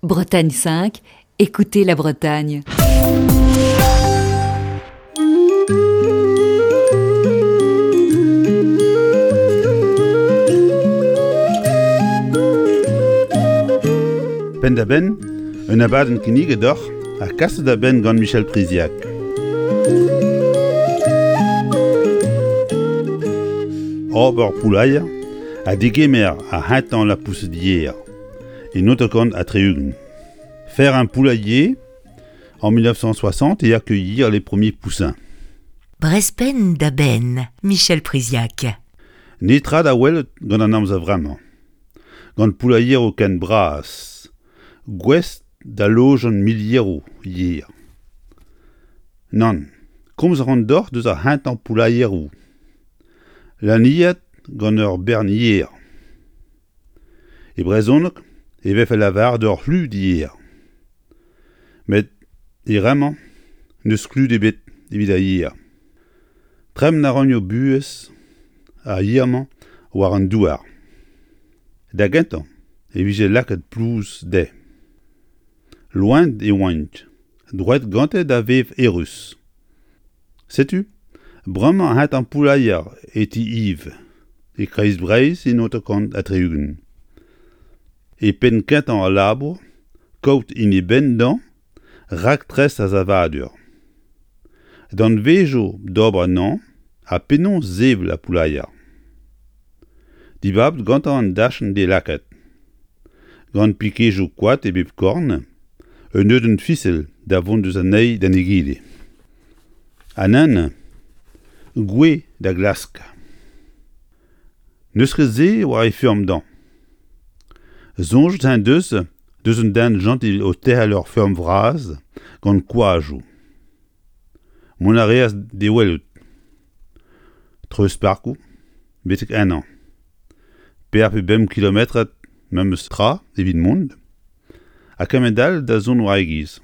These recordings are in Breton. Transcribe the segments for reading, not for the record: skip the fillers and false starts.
Bretagne 5, écoutez la Bretagne. Penn-da-benn, un abadenn kinniget deoc'h ha kaset da benn gant Michel Priziac. Ober poulailler ha degemer ar c'hentañ lapoused yer e 1960. Faire un poulailler en 1960 et accueillir les premiers poussins. Brespenn da benn, Michel Priziac. Netra da welet gant an amzer vremañ. Gant poulailheroù ken bras, gouest da lojañ milieroù yer. Nann, komz a ran deoc'h deus ar c'hentañ poulailheroù. Laniet gant ur bern yer. E brezhoneg e vefe lavaret ur c'hlud yer. Met e remañ n'eus klud ebet evit ar yer. Tremen a ran o buhez ar yer-mañ war an douar. Da gentañ e vije lakaet plouz dezhe. Loened e oant, droet gante da vev eürus. Setu bremañ hent an poulailler e ti Yves, e Kreiz-Breizh en 1960. E penn kentañ al labour, kaout hini benn dezhañ raktres ar savadur. Danvezioù d'ober anezhañ ha penaos sevel ar poulailler. Dibabet gantañ an dachenn d'e lakaat. Gant pikejoù koad e bep korn, un neudenn fisel da vont eus an eil d'an egile. Ha nann, gouez da glask. N'eus ket se war e feurm dezhañ. Soñjet en deus deus un den jentil o terc'hel ur feurm vras gant koajoù. Mont a reas d'e welout. Treuz-parkoù betek ennañ. Pevar pe bemp kilometrad memes tra evit mont, ha kement-all da zont war e giz.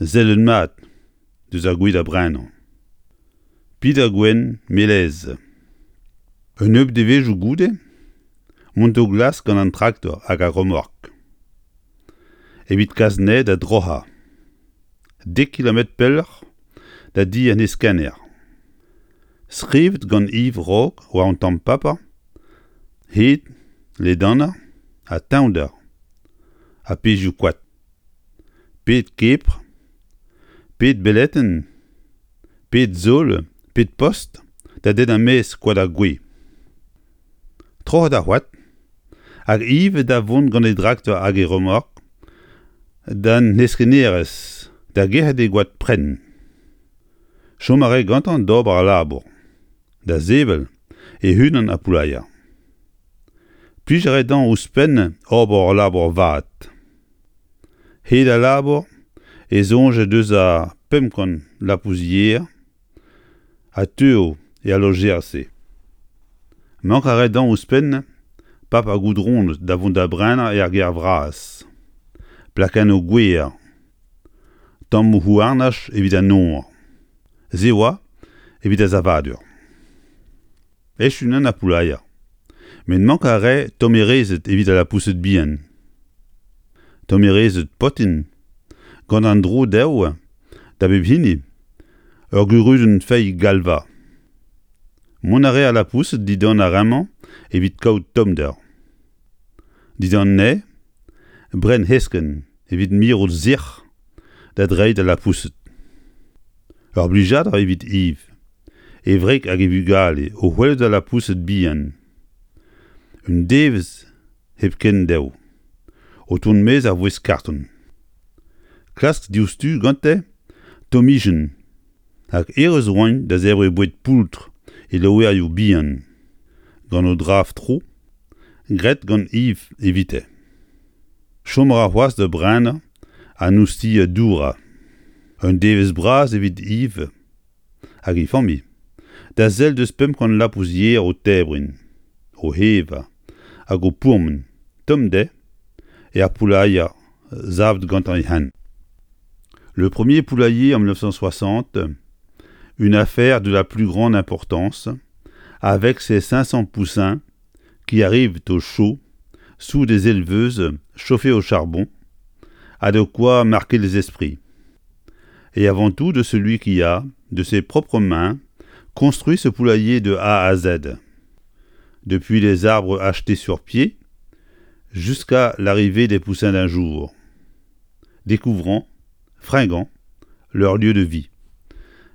Sellet mat deus ar gwez da brenañ. Peder gwenn melez. Un nebeud devezhioù goude, mont d'o glask gant an traktor hag ar remork. Evit kas anezhe da droc'hañ. Dek kilometr pelloc'h da di an heskenner. Skrivet gant Yves Rock war un tamm paper, hed, ledanañ ha teñvder ha pezhioù koad. Pet kepr, pet beletenn, pet sol, pet post da dennañ maez koad ar gwez. Troc'het ar c'hoad, hag ivez da vont gant e draktor hag e remork d'an heskennerezh da gerc'hat e goad prenn. Chom a rae gantañ d'ober al labour, da sevel e-unan ar poulailler. Plij a rae dezhañ ouzhpenn ober ul labour vat. Hed al labour e soñje deus ar 500 lapous-yer ha teuo er lojer-se. Mank a rae dezhañ ouzhpenn paper goudronet da vont da brenañ er gêr vras, plakennoù gwer, tammoù houarnaj evit an nor. Se oa evit ar savadur. Echu neuze ar poulailler. Met mank a rae tommerezed evit al lapoused bihan. Tommerezed potin, gant an dro dezho da bep hini, ur gurunenn feilh galva. Mont a rae al lapoused dindan ar re-mañ evit kaout tommder. Dindan anezhe, brenn heskenn evit mirout sec'h da dreiñ d'al lapoused. Ur blijadur evit Yves, e wreg hag e vugale o welout al lapoused bihan. Un devezh hepken dezho, o tont maez ar voest karton. Klask diouzhtu gante tommijenn hag errez oant da zebriñ boued poultr e loerioù bihan, gant o draf-tro graet gant Yves evite. Chom a ra c'hoazh da brenañ an oustilh dourañ. Un devezh bras evit Yves hag e familh da sell deus 500 lapous yer o tebriñ, o evañ hag o pourmen tomm dezhe er poulailler savet gantañ e-unan. Le premier poulailler en 1960, une affaire de la plus grande importance, avec ses 500 poussins qui arrivent au chaud. Sous des éleveuses chauffées au charbon, a de quoi marquer les esprits. Et avant tout de celui qui a, de ses propres mains, construit ce poulailler de A à Z. Depuis les arbres achetés sur pied, jusqu'à l'arrivée des poussins d'un jour, découvrant, fringant, leur lieu de vie.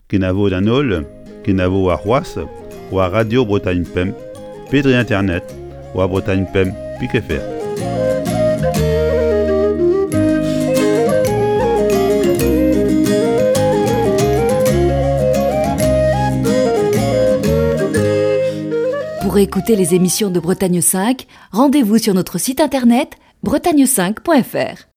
Kenavo d'an holl, kenavo warc'hoazh war Radio Bretagne Pemp pe dre internet war Bretagne Pemp pik fr. Pour écouter les émissions de Bretagne 5, rendez-vous sur notre site internet bretagne5.fr.